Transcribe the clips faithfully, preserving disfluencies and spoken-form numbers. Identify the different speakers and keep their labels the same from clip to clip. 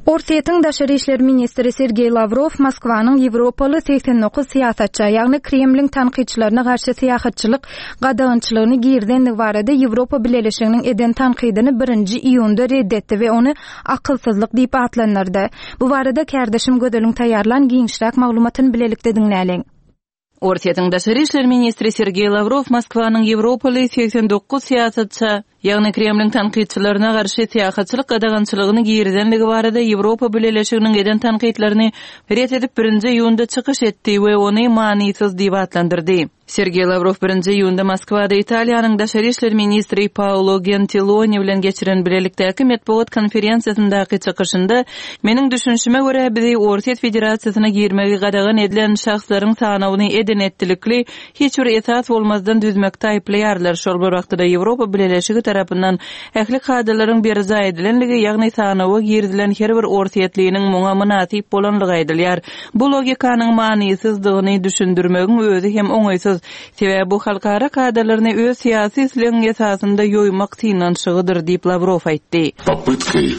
Speaker 1: Orsýetiň daşary işler ministri Sergeý Lawrow Moskwanyň ýewropaly segsen dokuz syýasatça, ýagny Kremliň tankytçylaryna garşy syýahatçylyk gadagançylygyny girizendigi barada Ýewropa Bileleşiginiň eden tankydyny birinji iýunda red etdi we ony akylsyzlyk diýip atlandyrdy. Bu barada kärdeşim Gözeliň taýýarlan giňişräk maglumatyny bilelikde diňläliň.
Speaker 2: Orsýetiň daşary işler ministri Sergeý Lawrow Moskwanyň ýewropaly segsen dokuz syýasatça, ýagny Kremliň tankytçylaryna garşy syýahatçylyk gadagançylygyny girizendigi barada Ýewropa Bileleşiginiň eden tankytlaryny ret edip birinji iýunda çykyş etdi we ony manysyz diýip atlandyrdy. Sergeý Lawrow birinji iýunda Moskwada Italiýanyň daşary işler ministri Paolo Gentiloni bilen geçiren bilelikdäki metbugat konferensiýasyndaky çykyşynda Meniň düşünişime görä bizi Orsýet Federasiýasyna girmegi gadagan edilen şahslaryň sanawyny eden etdilikli hiç bir esas bolmazdan düzmekde aýyplaýarlar. Şol bir wagtda Ýewropa Bileleşigi tarapyndan ähli kadalaryň berjaý edilenligi, ýagny sanawa girizilen her bir orsýetliniň muňa mynasyp bolanlygy aýdylýar. Bu logikanyň manysyzdygyny düşündirmegiň özi hem oňaýsyz. Sebäbi bu halkara kadalaryny öz syýasy islegiň esasynda ýoýmak synanyşygydyr diýip Lawrow aýtdy.
Speaker 3: Попыткой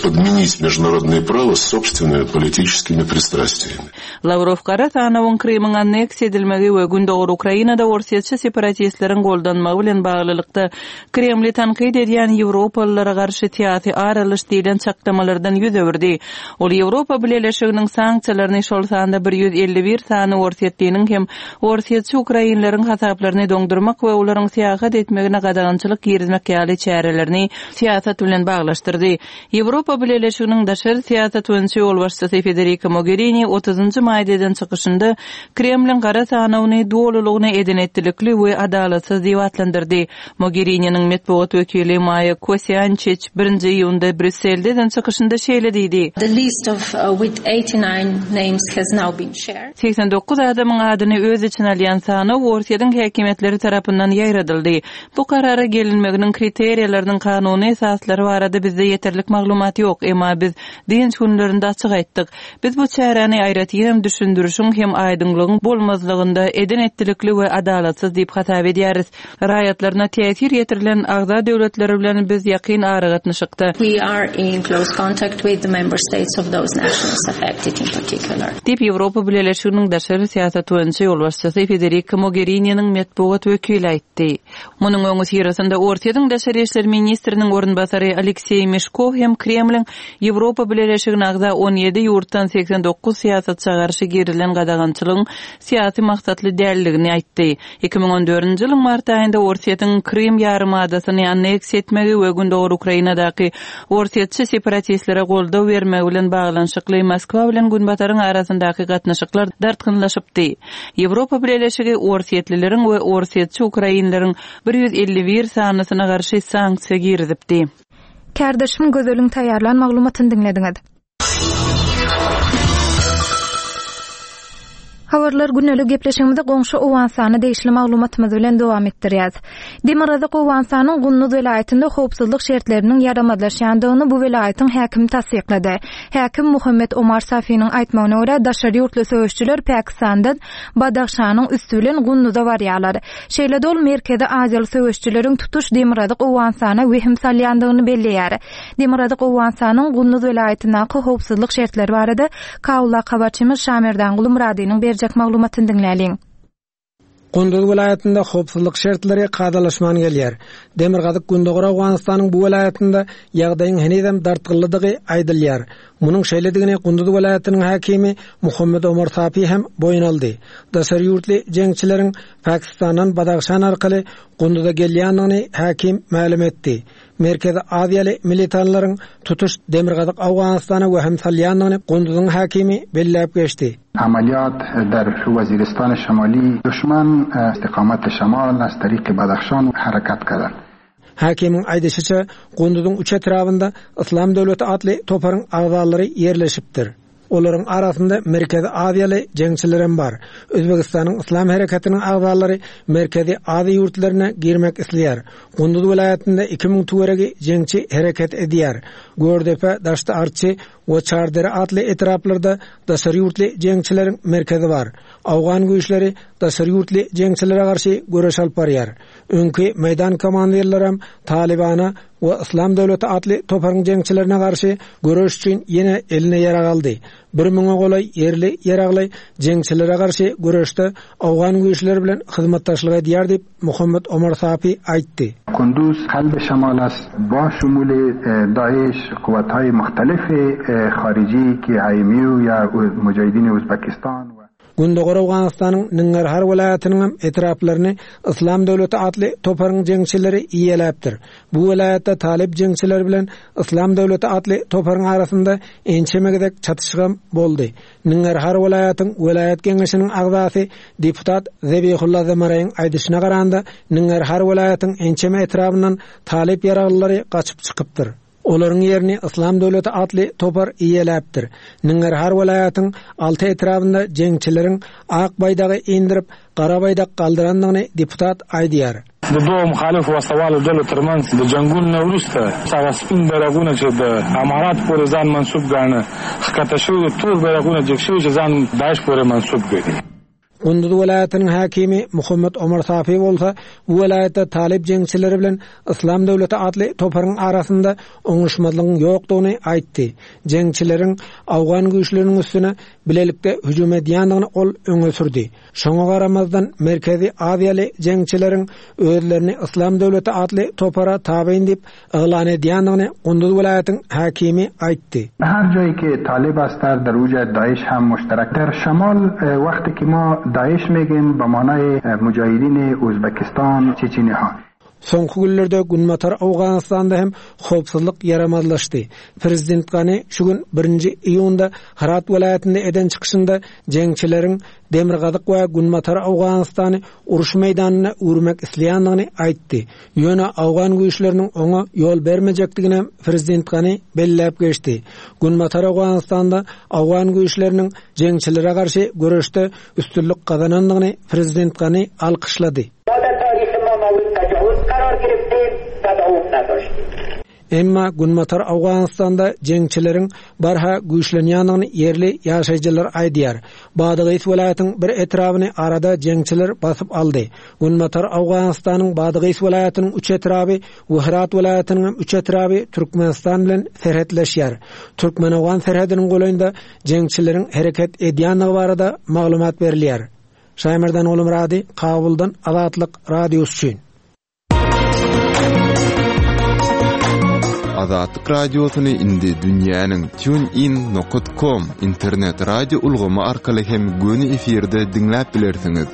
Speaker 3: подменить международное право собственными политическими пристрастиями.
Speaker 2: Lawrow gara sanawyň Krymyň anneksiýa edilmegi we Gündogar Ukrainada orsýetçi separatistleriň goldanmagy bilen baglylykda Kremli tankyt edýän Ýewropalylara garşy syýasy ar alyş diýlen çaklamalardan ýüz öwürdi. Ol Ýewropa Bileleşiginiň sanksiýalaryny şol sanda bir ýüz elli bir sany orsýetliniň hem orsýetçi ukrainleriň hasaplaryny doňdurmak we olaryň syýahat etmegine gadagançylyk girizmek ýaly çärelerini syýasat bilen baglaşdyrdy. Ýewropa Bileleşiginiň daşary syýasat boýunça ýolbaşçysy Federica Mogherini otuzynjy maýda eden çykyşynda Kremliň gara sanawyny dolulygyna eden etdilikli we adalatsyz diýip atlandyrdy. Mogherininiň metbugat wekili Maýa Kosýançiç birinji iýunda Brýusselde eden çykyşynda şeýle diýdi.
Speaker 4: The list of, uh, with eighty-nine names has now been shared.
Speaker 2: Seksen dokuz adamyň adyny öz içine alýan sanaw Orsýetiň häkimiýetleri tarapyndan ýaýradyldy. Bu karara gelinmeginiň kriteriýalarynyň kanuny esaslary barada bizde ýeterlik maglumat ýok, emma biz dynç günlerinde açyk aýtdyk. Biz bu çäräni aýratyn düşündirişiň hem aýdyňlygyň bolmazlygynda eden etdilikli we adalatsyz diýip hasap edýäris. Raýatlaryna täsir ýetirilen agza döwletleri bilen biz ýakyn aragatnaşykda.
Speaker 4: We are in close contact with the member states of those nations affected in particular.
Speaker 2: Diýip Ýewropa Bileleşiginiň daşary syýasat boýunça ýolbaşçysy Federica Mogherini'niň metbugat wekili aýtdy. Munuň öňi syrasynda Orsýetiň daşary işler ministriniň orunbasary Alekseý Meşkow hem Kremliň Ýewropa Bileleşigine agza on ýedi ýurtdan seksen dokuz syýasatça garşy girilen gadagançylygyň syýasy maksatly dälligini aýtdy. Iki müň on dördünji ýylyň mart aýynda Orsýetiň Krym ýarymadasyny anneksiýa etmegi we Gündogar Ukrainadaky orsýetçi separatistlere goldaw bermegi bilen baglanyşykly Moskwa bilen Günbataryň arasyndaky gatnaşyklar dartgynlaşypdy. Ýewropa Bileleşigi orsýetlileriň we orsýetçi ukrainleriň bir ýüz elli bir sanysyna garşy sanksiýa girizipdi.
Speaker 1: Kärdeşim Gözeliň taýýarlan maglumatyny diňlediňiz. Habarlar gündelik gepleşigimizi goňşy Owganystana degişli maglumatymyz bilen dowam etdirýäris. Demirgazyk Owganystanyň Gunduz welaýatynda howpsuzlyk şertleriniň ýaramazlaşýandygyny bu welaýatyň häkimi tassyklady. Häkim Muhammed Omar Safiniň aýtmagyna görä daşary ýurtly söweşçiler Pakistandan Badahşanyň üstü bilen Gunduza barýarlar. Şeýle-de ol Merkezi Aziýaly söweşçileriň tutuş Demirgazyk Owganystana wehim salýandygyny belleýär. Demirgazyk Owganystanyň Gunduz welaýatyndaky howpsuzlyk şertleri barada Kawla habarçymyz Şamerdan Gulumradynyň berjek maglumatyny diňläliň.
Speaker 5: Gunduz welaýatynda howpsuzlyk şertleri kadalaşman gelýär. Demirgazyk Gündogar Owganystanyň bu welaýatynda ýagdaýyň henizem dartgynlydygy aýdylýar. Munuň şeýledigini Gunduz welaýatynyň häkimi Muhammed Omar Safi hem boýun aldy. Daşary ýurtly jeňçileriň Pakistandan Badahşan arkaly Gunduza gelýändigini häkim mälim etdi. Merkezi Aziýaly militanlaryň tutuş Demirgazyk Owganystana wehim salýandygyny Gunduzyň häkimi belläp geçdi.
Speaker 6: عملیات در وزیرستان شمالی دشمن استقامت شمال از طریق بدخشان حرکت کردند.
Speaker 5: Häkimiň aýdyşyça Gunduzyň üç etrabynda Islam döwleti atly toparyň agzalary ýerleşipdir. Olaryň arasynda Merkezi Aziýaly jeňçilerem bar. Özbekistanyň Islam hereketiniň agzalary Merkezi Aziýa ýurtlaryna girmek isleýär. Gunduz welaýatynda iki müň töweregi jeňçi hereket edýär. Gördepe, Daşty Arçy we Çardere atly etraplarda daşary ýurtly jeňçileriň merkezi bar. Awgan güýçleri daşary ýurtly jeňçilere garşy göreş alyp barýar. Öňki meýdan komandirlerem Talibana we Yslam döwleti atly toparyň jeňçilerine garşy göreş üçin ýene eline ýarag aldy. Bir müňe golaý ýerli ýaragly jeňçilere garşy göreşde owgan güýçleri bilen hyzmatdaşlyk edýär diýip Muhammet Omar Safi aýtdy.
Speaker 6: قندوز قلب شمال است با شمول داعش قوت‌های مختلف خارجی که ایمیو یا مجاهدین ازبکستان و
Speaker 5: Gündogar Owganystanyň Nangarhar welaýatynyň etraplaryny Yslam döwleti atly toparyň jeňçileri iýeläpdir. Bu welaýatda talyp jeňçiler bilen Yslam döwleti atly toparyň arasynda ençeme gezek çatyşygam boldy. Nangarhar welaýatyň welaýat geňeşiniň agzasy deputat Zebihulla Zamaraýyň aýdyşyna garanda Nangarhar welaýatyň ençeme etrabyndan talyp ýaraglylary gaçyp çykypdyr. Olaryň ýerini Yslam döwleti atly topar iýeläpdir. Nangarhar welaýatyň alty etrabynda jeňçileriň ak baýdagy indirip, gara baýdak galdyrandygyny deputat aýdýar.
Speaker 7: د دوو مخالفو وسلهوالو ډلو ترمنځ د جنګونو نه وروسته هغه سپین بیرغونه چې د امارات پورې ځان منسوب ګاڼه ښکته شوي، تور بیرغونه جګ شوي چې ځان داعش پورې منسوب ګڼي.
Speaker 5: Gunduz welaýatynyň hakimi Muhammet Omar Safi bolsa, bu welaýatda talyp jeňçileri bilen Yslam döwleti atly toparyň arasynda oňuşmazlygyň ýokdugyny aýtdy. Jeňçileriň awgan güýçleriniň üstüne bilelikde hüjüm edýändigini ol öňe sürdi. Şoňa garamazdan Merkezi Aziýaly jeňçileriň özlerini Yslam döwleti atly topara tabyn diýip yglan edýändigini Gunduz welaýatyň hakimi aýtdy.
Speaker 6: هر جایی که طالب است در اوج داعش هم مشترک در شمال وقتی که ما داعش میگیم به معنای مجاهدین ازبکستان چچنی ها.
Speaker 5: Soňky günlerde Günbatar Owganystanda hem howpsuzlyk ýaramazlaşdy. Prezident Gani şu gün birinji iýunda Herat welaýatynda eden çykyşynda jeňçileriň Demirgazyk we Günbatar Owganystany uruş meýdanyna öwürmek isleýändigini aýtdy. Ýöne Owgan güýçleriniň oňa ýol bermejekdigini Prezident Gani belläp geçdi. Günbatar Owganystanda Owgan güýçleriniň jeňçilere garşy göreşde üstünlik gazanandygyny Prezident Gani alkyşlady. Emma Günbatar Owganystanda jeňçileriň barha güýçlenýändigini ýerli ýaşaýjylar aýdýar. Badagys welaýatyň bir etrabyny arada jeňçiler basyp aldy. Günbatar Owganystanyň Badagys welaýatynyň üç etraby we Herat welaýatynyň üç etraby Türkmenistan bilen serhetleşýär. Türkmen-Owgan serhediniň golaýynda jeňçileriň hereket edýändigi barada maglumat berilýär. Şaýmerdan Oglumyrady, Kabuldan Azatlyk Radiosy üçin.
Speaker 8: Azatlyk Radiosyny indi dünýäniň tunein nokta com internet radio ulgamy arkaly hem göni efirde diňläp bilersiňiz.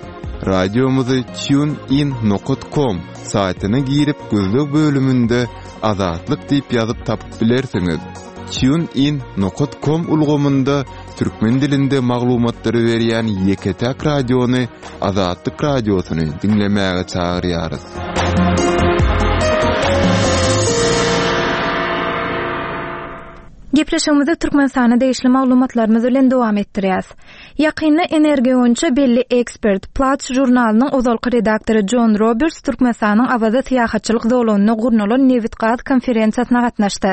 Speaker 8: Radiomyzy tunein nokta com saýtyna girip gözleg bölüminde Azatlyk diýip ýazyp tapyp bilersiňiz. Tunein nokta com ulgamynda türkmen dilinde maglumatlary berýän ýeke-täk radiony Azatlyk Radiosyny diňlemäge çagyrýarys.
Speaker 1: Gepleşigimizi Türkmenistana degişli maglumatlarymyz bilen dowam etdirýäs. Ýakynda energiýa boýunça belli ekspert, Platts žurnalynyň ozalky redaktory John Roberts Türkmenistanyň Awaza syýahatçylyk zolagynda gurnalan nebit-gaz konferensiýasyna gatnaşdy.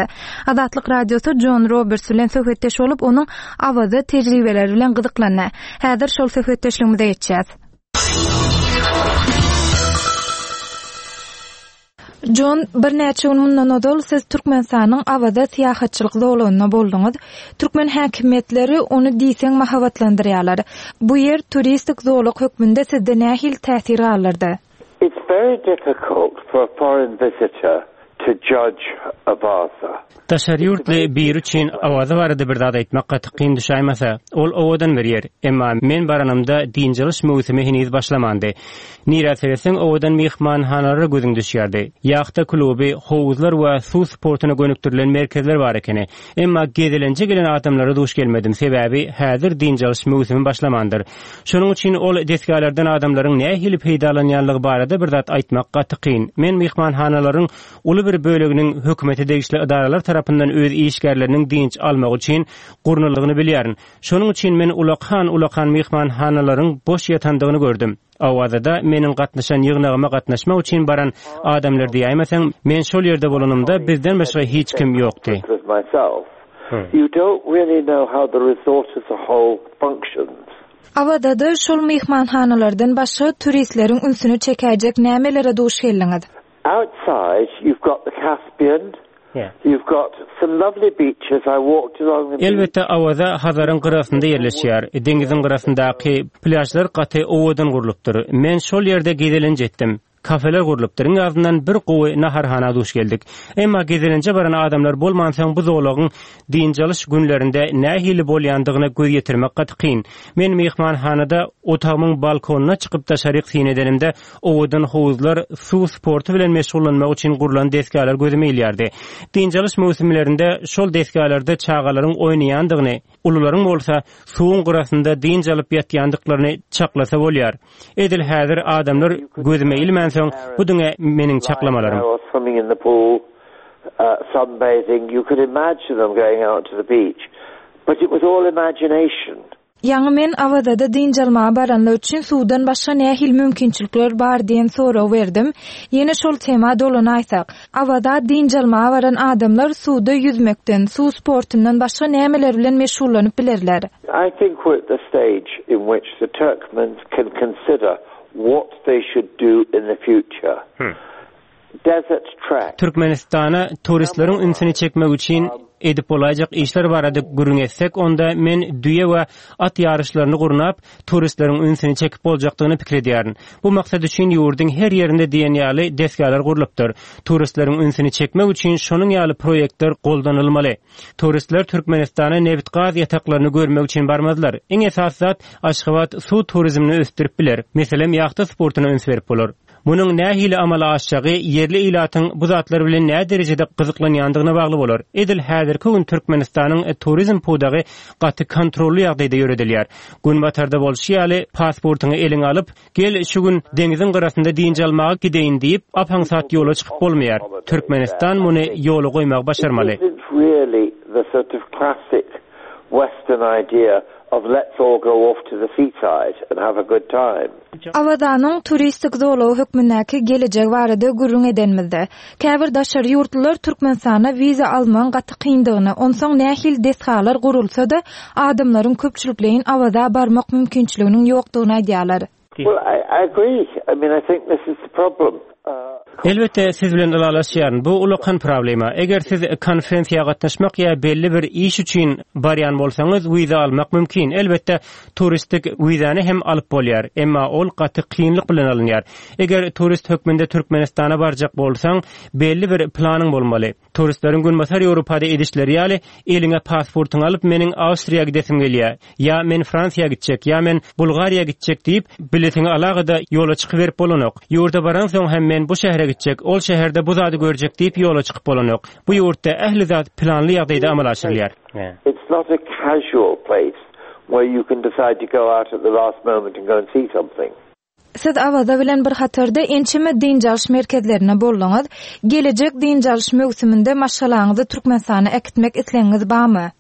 Speaker 1: Azatlyk Radiosy John Roberts bilen söhbetdeş bolup, onuň Awaza tejribeleri bilen gyzyklandy. Häzir şol söhbetdeşligimize geçýäs. John, bir näçe gün mundan ozal siz Türkmenistanyň Awaza syýahatçylyk zolagynda bolduňyz. Türkmen häkimiýetleri ony diýseň mahabatlandyrýarlar. Bu ýer turistik zolak hökmünde sizde nähili täsir galdyrdy?
Speaker 9: It's very difficult for a foreign visitor to judge Awaza.
Speaker 10: Daşary ýurtly bir üçin Awaza barada bir zat aýtmak gaty kyn düşäýmese, ol owadan bir ýer. Emma men baranymda dynç möwsümi heniz başlamandy. Nirä seretseň owadan myhmanhanalara gözüň düşýärdi. Ýahta kluby, howuzlar we suw sportuna gönükdirilen merkezler bar ekeni. Emma gezelenje gelen adamlara duş gelmedim. Sebäbi häzir dynç möwsümi başlamandyr. Şonuň üçin ol desgalardan adamlaryň nähili peýdalanýanlygy barada bir zat aýtmak gaty kyn. Men myhmanhanalaryň uly bir böleginiň hökümete degişli edaralar tarapyndan öz işgärleriniň dynç almak üçin gurnalygyny bilýärin. Şonuň üçin men ulakan ulakan myhmanhanalaryň boş ýatandygyny gördüm. Awazada meniň gatnaşan ýygnagyma gatnaşmak üçin baran adamlar diýäýmeseň, men şol ýerde bolanymda bizden başga hiç kim ýokdy.
Speaker 9: You don't really know how the resort as a whole functions.
Speaker 1: Awazada şol myhmanhanalardan başga turistleriň ünsüni çekejek nämelere duş geldiňiz?
Speaker 9: Outside you've got the Caspian. You've got some lovely beaches. I walked along the
Speaker 10: Elbetde Awaza Hazaryň gyrasynda ýerleşýär. Deňiziň gyrasyndaky plýažlar gaty owadan gurlupdyr. Men şol ýerde gezelenç etdim. Kafeler gurlupdyr. Iň azyndan bir gowy naharhana duş geldik. Emma gezelenje baran adamlar bolmansoň bu zolagyň dynç alyş günlerinde nähili bolýandygyna göz ýetirmek gaty kyn. Men myhmanhanada otagymyň balkonyna çykyp daşaryk syn edenimde owadan howuzlar, suw sporty bilen meşgullanmak üçin gurlan desgalar gözüme ilýärdi. Dynç alyş möwsümlerinde şol desgalarda çagalaryň oýnaýandygyny, ulularyň bolsa suwuň gyrasynda dynç alyp ýatýandyklaryny çaklasa bolýar. Edil häzir adamlar gözüme ilmänsoň, bu diňe meniň çaklamalarym.
Speaker 9: Or swimming in the pool, uh, sunbathing. You could imagine them going out to the beach. But it was all imagination.
Speaker 1: Ýaňy men Awazada dynç almaga baranlar üçin suwdan başga nähili mümkinçilikler bar diýen sorag berdim. Ýene şol tema dolanaýsak. Awaza dynç almaga baran adamlar suwda ýüzmekden, suw sportundan başga nämeler bilen meşgullanyp bilerler?
Speaker 9: I think we're at the stage in which the Turkmens can consider what they should do in the future. Desert trek.
Speaker 10: Türkmenistana turistleriň ünsüni çekmek üçin edip bolaýjak işler barada gürrüň etsek, onda men düýe we at ýaryşlaryny gurnap, turistleriň ünsüni çekip boljakdygyny pikir edýärin. Bu maksat üçin ýurduň her ýerinde diýen ýaly desgalar gurlupdyr. Turistleriň ünsüni çekmek üçin şonuň ýaly proýektler goldanylmaly. Turistler Türkmenistana nebit gaz ýataklaryny görmek üçin barmazlar. Iň esasy zat Aşgabat suw turizmini ösdürip biler. Meselem, ýahta sportuna üns berip bolar. Munuň nähili amala aşjagy ýerli ilatyň bu zatlar bilen nä derejede gyzyklanýandygyna bagly bolar. Edil häzirki gün Türkmenistanyň turizm pudagy gaty kontrolly ýagdaýda ýöredilýär. Günbatarda bolşy ýaly pasportyňy eliňe alyp, gel şu gün deňiziň gyrasynda dynç almaga gideýin diýip, apaňsat ýola çykyp bolmaýar. Türkmenistan muny ýola goýmagy başarmaly.
Speaker 9: It isn't really the sort of classic Western idea of let's all go off to the seaside and have a good time.
Speaker 1: Awazanyň turistik zolagy hökmündäki gelejegi barada gürrüň edenimizde, käbir daşary ýurtlular Türkmenistana wiza almagyň gaty kyndygyny, onsoň nähili desgalar gurulsa-da, adamlaryň köpçülikleýin Awaza barmak mümkinçiliginiň ýokdugyny aýdýarlar.
Speaker 9: Well, I, I agree. I mean, I think this is the problem. Uh,
Speaker 10: Elbetde siz bilen ylalaşýaryn. Bu ulakan problema. Eger siz konferensiýa gatnaşmak ýa belli bir iş üçin barýan bolsaňyz, wiza almak mümkin. Elbetde turistik wizany hem alyp bolýar, emma ol gaty kynlyk bilen alynýar. Eger turist hökmünde Türkmenistana barjak bolsaň, belli bir planyň bolmaly. Turistleriň Günbatar Ýewropada edişleri ýaly, eliňe pasportyňy alyp meniň Awstriýa gidesim gelýär, ýa men Fransiýa gitjek, ýa men Bulgariýa gitjek diýip, biletiňi alagada ýola çykyberip bolanok. Ýurda baransoň hem men bu şähere gitjek, ol şäherde bu zady görjek diýip ýola çykyp bolanok. Bu ýurtda ähli zat planly ýagdaýda amala aşyrylýar.
Speaker 9: It's not a casual place where you can decide to go out at the last moment and go and see something.
Speaker 1: Siz Awaza bilen bir hatarda ençeme dynç alyş merkezlerine bolduňyz. Gelejek dynç alyş möwsüminde maşgalaňyzy Türkmenistana äkitmek islegiňiz barmy?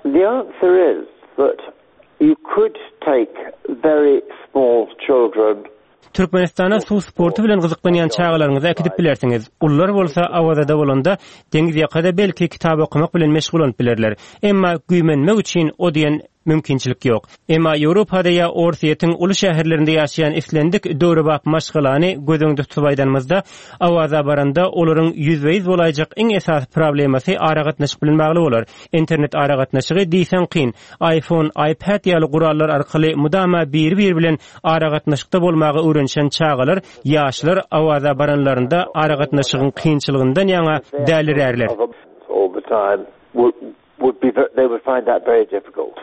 Speaker 9: The answer is that you could take very small children
Speaker 10: Türkmenistana suw sporty bilen gyzyklanýan çagalaryňyzy äkidip bilersiňiz. Ulular bolsa Awazada bolanda deňiz ýakada belki kitap okamak bilen meşgullanyp bilerler. Emma güýmenmek üçin o diýen mümkinçilik ýok. Emma Ýewropada ýa Orsýetiň uly şäherlerinde ýaşaýan islendik döwrebap maşgalany göz öňünde tutup aýdanymyzda, Awaza baranda olaryň ýüzbe-ýüz bolaýjak iň esasy problemasy aragatnaşyk bilen bagly bolar. Internet aragatnaşygy diýseň kyn. iPhone, iPad ýaly gurallar arkaly mudama biri-biri bilen aragatnaşykda bolmaga öwrenişen çagalar, ýaşlar Awaza baranlarynda aragatnaşygyň kynçylygyndan ýaňa dälirärler.
Speaker 9: all the time would, would be they would find that very difficult.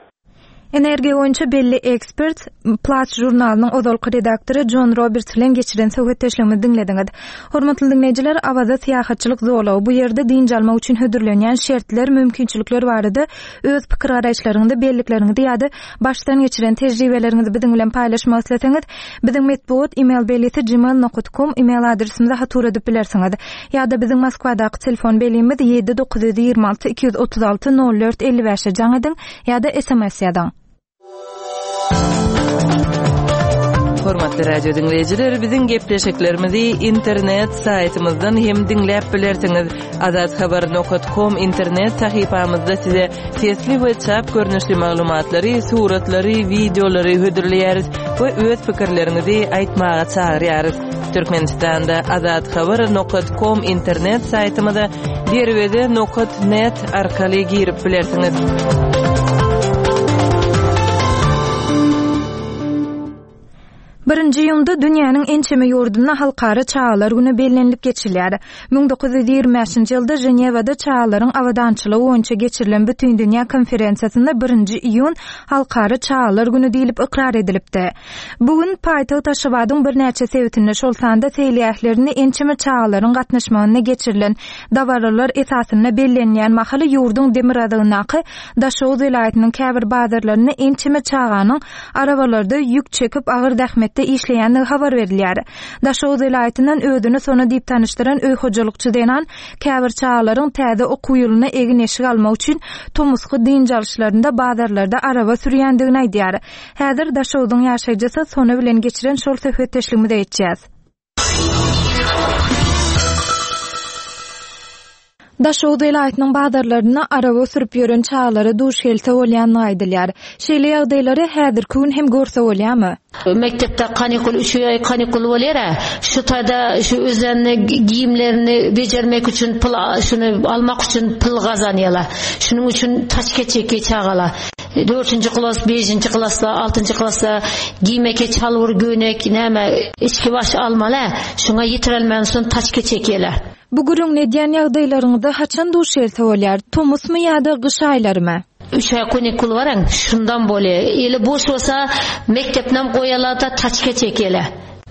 Speaker 1: Energiýa boýunça belli ekspert Platts žurnalynyň ozalky redaktory John Roberts bilen geçiren söhbetdeşligimizi diňlediňiz. Hormatly diňleýjiler, Awaza syýahatçylyk zolagy bu ýerde dynç almak üçin hödürlenýän şertler, mümkinçilikler barada öz pikir garaýyşlaryňyzy, bellikleriňizi ýa-da başdan geçiren tejribeleriňizi biziň bilen paýlaşmak isleseňiz, biziň metbugat e-mail belgisi gmail nokta com e-mail adresimize hat ugradyp bilersiňiz. Ýa-da biziň Moskwadaky telefon belgimiz ýedi dokuz ýüz ýigrimi alty iki ýüz otuz alty nol dört elli bäşe jaň ediň ýa-da S M S ýazyň.
Speaker 2: Hormatly radio diňleýjiler, biziň gepleşiklerimizi internet saýtymyzdan hem diňläp bilersiňiz. Azathabar.com internet sahypamyzda size sesli we çap görnüşli maglumatlary, suratlary, wideolary hödürleýäris we öz pikirleriňizi aýtmaga çagyrýarys. Türkmenistanda azathabar.com internet saýtymyza derweze.net arkaly girip bilersiňiz.
Speaker 1: Birinji iýunda dünýäniň ençeme ýurdunda halkara çagalar güni bellenilip geçilýär. müň dokuz ýüz ýigrimi bäşinji ýylda Ženewada çagalaryň abadançylygy boýunça geçirilen Bütindünýä konferensiýasynda birinji iýun halkara çagalar güni diýlip ykrar edilipdi. Bu gün paýtagt Aşgabadyň birnäçe sebitinde, şol sanda seýilgählerinde ençeme çagalaryň gatnaşmagynda geçirilen dabaralar esasynda bellenýän mahaly ýurduň demirgazygyndaky Daşoguz welaýatynyň käbir bazarlarynda ençeme çaganyň arabalarda ýük çekip agyr zähmetde işleýändigi habar berilýär. Daşoguz welaýatyndan özüni Sona diýip tanyşdyran öý hojalykçy zenan käbir çagalaryň täze okuw ýylyna egin-eşik almak üçin tomusky dynç alyşlarynda bazarlarda araba sürýändigini aýdýar. Häzir Daşoguzyň ýaşaýjysy Sona bilen geçiren şol söhbetdeşligimize geçýäs. Daşoguz welaýatynyň bazarlarynda araba sürüp ýören çagalara duş gelse bolýandygy aýdylýar. Şeýle ýagdaýlary häzirki gün hem görse bolýarmy?
Speaker 11: Mekdepde kanikul üç aý kanikul bolýar. Şu taýda şu özlerini giyimlerini bejermek üçin pul şuny almak üçin pul gazanýarlar. Şunuň üçin taşke çekýär çagalar. Dördünji klas, beşinji klasda, altynjy klasda giymeke çalwur gönek, näme içki baş almaly. Şuňa ýetirelmän soň taşke çekýärler.
Speaker 1: Bu gürrüň edýän ýagdaýlaryňyzda haçan duş gelse bolýar? Tomusmy ýa-da gyş aýlarymy?
Speaker 11: Üç aý kanikul baran, şundan bolýar. Eli boş bolsa mekdepden goýarlar-da taşke çekýärler.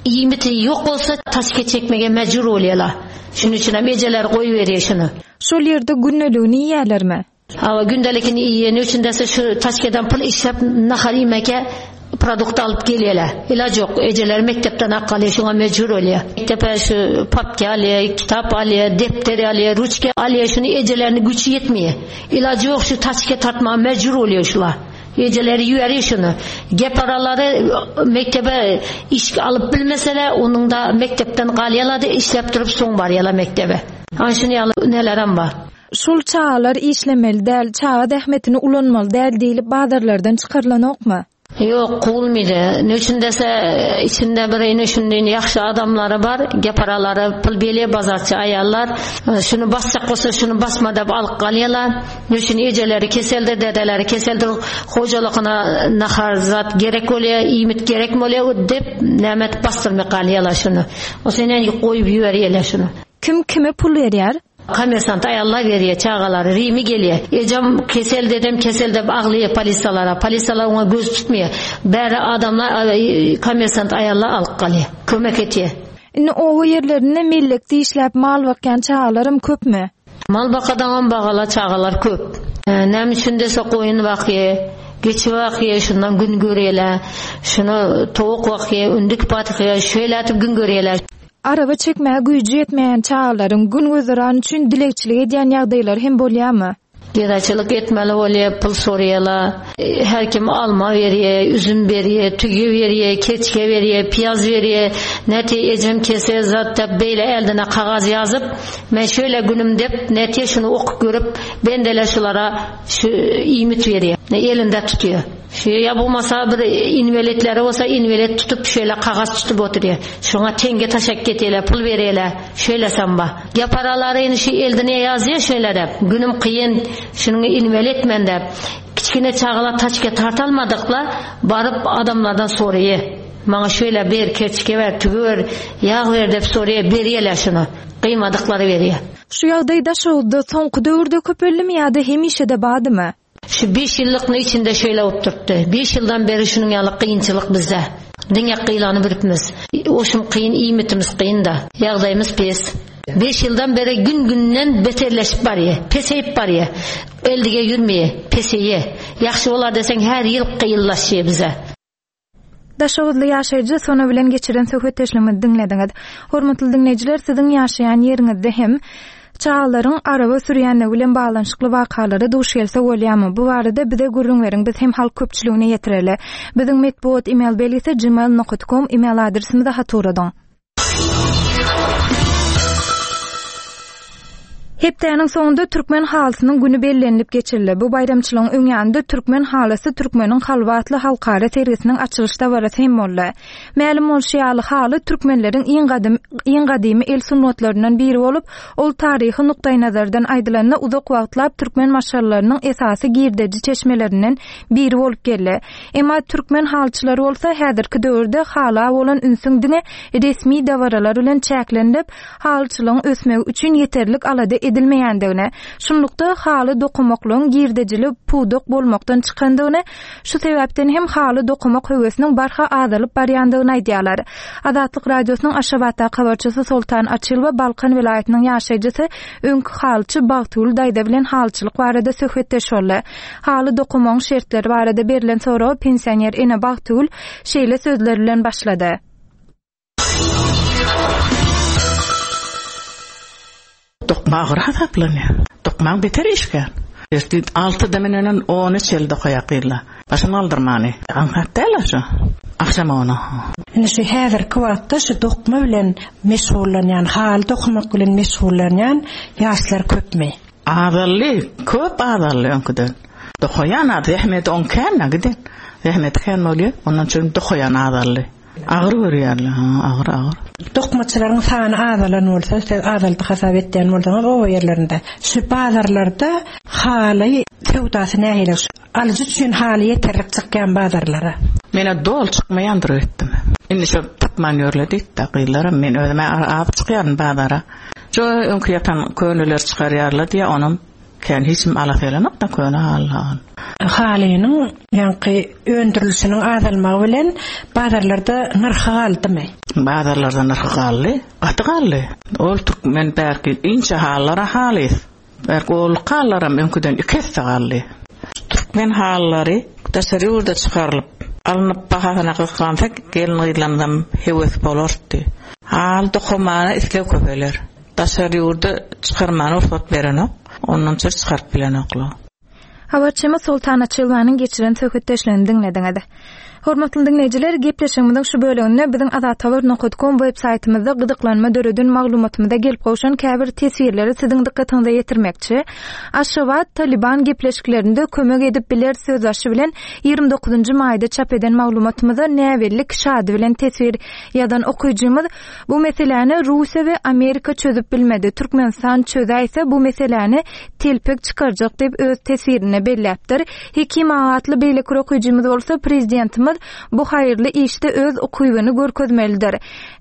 Speaker 11: Iýmiti ýok bolsa taşke çekmege mejbur bolýarlar. Şunuň üçin hem ejeler goýup berýär şuny.
Speaker 1: Şol ýerde gündeligini iýýärlermi?
Speaker 11: Hawa, gündelikini iýeni üçin dese şu taşkeden pul işläp nahar iýmeke produkt alyp gelýärler. Ilaç ýok. Ejeler mekdepden akgaly şuňa mejbur bolýar. Mekdepe şu papka alýar, kitap alýar, depder alýar, ruçka alýar, şuny ejelerine güýçi ýetmeýär. Ilaç ýok, şu taşke tartmaga mejbur bolýar şular. Ejeleri ýüweriyor şuny. Gep aralary mektebe iş alyp bilmeseler, onuň da mekdepden galýarlar-da işläp durup soň barýarlar mektebe. Ana şuny ýaly nelerem bar.
Speaker 1: Şol çagalar işlemeli däl, çaga zähmetini ulanmaly däl diýlip bazarlardan çykarylanokmy?
Speaker 11: Ýok, kowulmaýdy. Ne üçin dese, içinde bir ene şundan ýagşy adamlary bar, gep aralary pul belýär bazarçy aýallar. Şuny basjak bolsa şuny basma diýip alyp galýarlar. Ne üçin ejeleri keseldi, dedeleri keseldi, hojalygyna nahar zat gerek bolýar, iýmit gerek bolýar diýip näme bastyrmak galýarlar şuny. O senen goýup ýüberýärler şuny.
Speaker 1: Kim kime pul berýär?
Speaker 11: Kommersant aýallar berýär çagalary, Rimi gelýär. Ejem kesel dedem, kesel dep aglaýar polisalara. Polisalar oňa göz tutmaýar. Bäri adamlar kommersant aýallar alyp galýar. Kömek etýär.
Speaker 1: Indi oba ýerlerinde mellekde işläp mal bakýan çagalaram köpmi?
Speaker 11: Mal bakadan bagala çagalar köp. Näme üçin dese goýun bakýar, geçi bakýar, şundan gün görýärler. Şunu towuk bakýar, ündük bakýar, şeýle atyp gün görýärler.
Speaker 1: Araba çekmäge güýji ýetmeýän çagalaryň gün gözeran üçin dilegçilik edýän ýagdaýlary hem bolýarmy?
Speaker 11: Gedaçylyk etmeli bolýar, pul sorýarlar. Her kim alma berýär, üzüm berýär, tüýe berýär, keçke berýär, piyaz berýär. Nete ejem kese zat dep beýle eldine kagaz ýazyp, men şöyle günüm dep nete şunu okup görüp bendeler şulara şu iýmit berýär. Elinde tutýar. Şu ýa bolmasa bir inwelitleri bolsa inwelit tutup şöyle kagaz tutup oturýar. Şoňa tenge taşak ketýärler, pul berýärler. Şöyle samba. Ya paralary şu eldine ýazýar şöyle dep. Günüm kyn, şunuň inwelit men dep. Kiçkine çagalar taçke tartalmadykla baryp adamlardan soraýar. Maňa şöyle ber, keçke ber, tügü ber, ýag ber dep soraýar, berýärler şunu. Gyýmadyklary berýär.
Speaker 1: Şu ýagdaý Daşoguzda soňky döwürde köpeldi ýa-da hemişe-de bardymy?
Speaker 11: Şu beş ýyllyk içinde şöyle oturtdy. Beş ýyldan beri şunuň ýaly kynçylyk bizde. Diňe gyýlanyp birimiz. Oşum kyn, iýmitimiz kyn da. Ýagdaýymyz pes. Beş ýyldan beri gün-günden beterleşip barýar, peseyip barýar. Eldige ýürmeýär, peseýär. Ýagşy bolar deseň her ýyl gyýyllaşýar bize.
Speaker 1: Daşoguzly ýaşaýjy Sona bilen geçiren söhbetdeşligimizi diňlediňiz. Hormatly diňleýjiler, siziň ýaşaýan ýeriňizde hem Çagalaryň araba sürýänligi bilen baglanyşykly wakalara duş gelse bolýarmy? Bu barada bize gürrüň beriň, biz hem halk köpçüligine ýetireli. Biziň metbugat email belgisi gmail nokta com email adresimize hat ugradyň. Hepdäniň soňunda Türkmen halysynyň güni bellenilip geçirildi. Bu baýramçylygyň öň ýanynda Türkmen halysy Türkmeniň kalby atly halkara sergisiniň açylyş dabarasy hem boldy. Mälim bolşy ýaly, haly türkmenleriň iň gadym, iň gadymy el sungatlaryndan biri bolup, ol taryhy nukdaýnazardan aýdylanda uzak wagtlap türkmen maşgalalarynyň esasy girdeji çeşmelerinden biri bolup geldi. Emma türkmen halyçylary bolsa häzirki döwürde hala bolan ünsüň diňe resmi dabaralar bilen çäklenilip, halyçylygyň ösmegi üçin ýeterlik alada edilmeýändigini, şunlukda haly dokumaklygyň girdejili pudak bolmakdan çykandygyny, şu sebäpden hem haly dokumak höwesiniň barha azalyp barýandygyny aýdýarlar. Azatlyk Radiosynyň Aşgabatdaky habarçysy Soltan Açylowa Balkan welaýatynyň ýaşaýjysy öňki halyçy Bagtygül daýza bilen halyçylyk barada söhbetdeş boldy. Haly dokumagyň şertleri barada berlen soraga pensioner ene Bagtygül şeýle sözler bilen başlady.
Speaker 12: Dokma agyr hasaplanýar. Dokmaň beter işgär. Ertip altyda menen ony çel dokaýak diýdiler. Başyny aldyrmany. Aňsat däl şu. Akşam ona.
Speaker 13: Indi şu häzirki wagtda şu dokma bilen meşgullanýan, haly dokumak bilen meşgullanýan ýaşlar köpmi?
Speaker 12: Azally, köp azally öňküden. Dokaýan az, zähmet on kän giden. Zähmet kän bolýar, ondan üçin dokaýan azally. Agyr görýärler, ha, agyr agyr.
Speaker 13: Dokmaçylaryň sany azalan bolsa, siz azaldy hasap etýän bolsaňyz oba ýerlerinde. Şu bazarlarda haly söwdasy nähili? Alyjy üçin haly ýeterlik çykýan bazarlara.
Speaker 12: Mene dol çykmaýandyr öýtdüm. Indi şu tapman ýörle diýdi, gyzlarym, men özüme az çykýaryn bazara. Şu öňki ýatan köneler çykarýarlar diýe, onuň kän hiç kim alasy gelenok da köne haly.
Speaker 13: Halynyň ýaňky öndürilişiniň azalmagy bilen bazarlarda nyrhy galdymy?
Speaker 12: Bazarlarda nyrhy galdy, gaty galdy. Ol türkmen bärki inçe halylara halys. Bärki ol halylaram öňküden iki esse galdy. Türkmen halylary daşary ýurda çykarylyp, alnyp bahasyna gysgansa gelin gyzlarymyzam höwes bolardy. Haly dokamana isleg köpeler. Daşary ýurda çykarmana rugsat berenok, ondan çyr çykaryp bilenoklar.
Speaker 1: Habarçymyz Soltan Açylwanyň geçiren söhbetdeşligini diňlediňiz. Hormatly diňleýjiler, gepleşigimiziň şu bölüminde biziň azathabar nokta com web saýtymyzda gyzyklanma döreden maglumatymyza gelip gowşan käbir teswirleri siziň dykgatyňyza ýetirmekçi. Aşgabat Taliban gepleşiklerinde kömek edip biler sözbaşy bilen ýigrimi dokuzynjy maýda çap eden maglumatymyza näbelli kişi ady bilen teswir ýazan okyjymyz bu meseläni Russiýa we Amerika çözüp bilmedi. Türkmenistan çözäýse bu meseläni telpek çykarjak diýip öz teswirine belläpdir. Hekim ağa atly beýleki okyjymyz bolsa prezidentimiz bu haýyrly işde öz ukybyny görkezmelidir.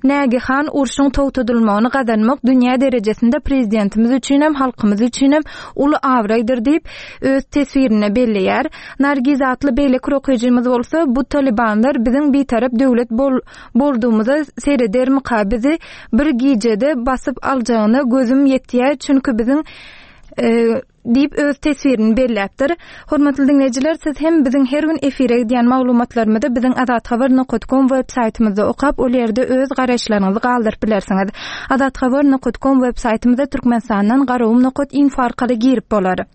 Speaker 1: Nägihan urşuň togtadylmagyny gazanmak dünýä derejesinde prezidentimiz üçin hem halkymyz üçin hem uly abraýdyr diýip öz teswirine belleýär. Nargiz atly beýleki okyjymyz bolsa bu Talibanlar biziň bitarap döwlet bol-, boldugymyza seredermika bizi bir gijede basyp aljagyna gözüm ýetýär çünki biziň, e, diýip öz teswirini belläpdir. Hormatly diňleýjiler, siz hem biziň her gün efire gidýän maglumatlarymyzy biziň azathabar nokta com web saýtymyzda okap, ol ýerde öz garaýyşlaryňyzy galdyryp bilersiňiz. Azathabar nokta com web saýtymyza Türkmenistandan garagum nokta info arkaly girip bolar.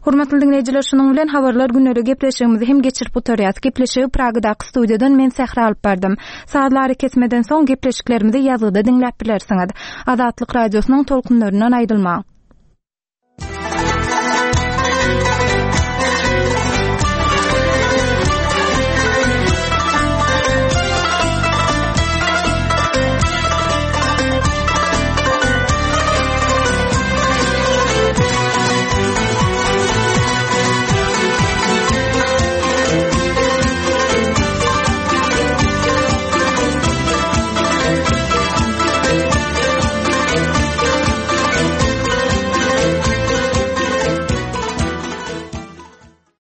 Speaker 1: Hormatly diňleýjiler, şunuň bilen habarlar günleri gepleşigimizi hem geçirip gutarýas. Gepleşigi Pragadaky studiýadan men Sähra alyp bardym. Sazlary kesmeden soň gepleşiklerimizi ýazgyda diňläp bilersiňiz. Azatlyk radiosynyň tolkunlaryndan aýrylmaň.